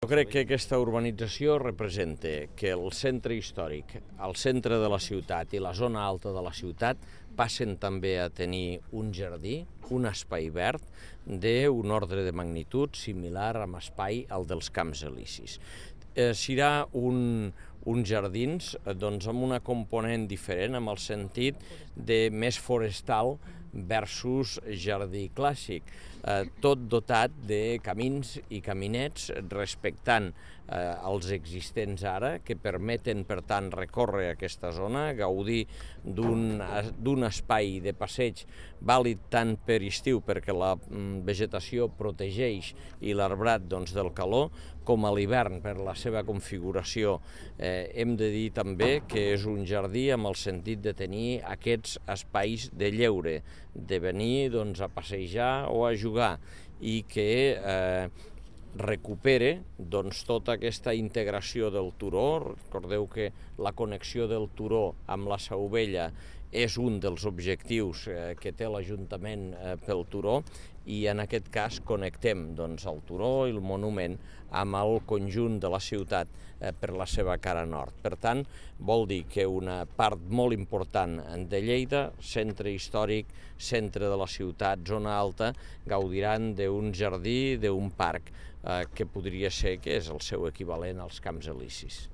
Jo crec que aquesta urbanització representa que el centre històric, el centre de la ciutat i la zona alta de la ciutat passen també a tenir un jardí, un espai verd d'un ordre de magnitud similar amb espai al dels Camps Elisis. Serà uns jardins amb una component diferent, amb el sentit de més forestal versus jardí clàssic, tot dotat de camins i caminets respectant els existents ara, que permeten, per tant, recórrer aquesta zona, gaudir d'un espai de passeig vàlid tant per estiu, perquè la vegetació protegeix i l'arbrat del calor, com a l'hivern per la seva configuració. Hem de dir també que és un jardí amb el sentit de tenir aquests espais de lleure, de venir a passejar o a jugar, i que recupere tota aquesta integració del turó. Recordeu que la connexió del turó amb la Seu Vella és un dels objectius que té l'Ajuntament pel turó, i en aquest cas connectem el turó i el monument amb el conjunt de la ciutat per la seva cara nord. Per tant, vol dir que una part molt important de Lleida, centre històric, centre de la ciutat, zona alta, gaudiran d'un jardí, d'un parc que podria ser que és el seu equivalent als Camps Elisis.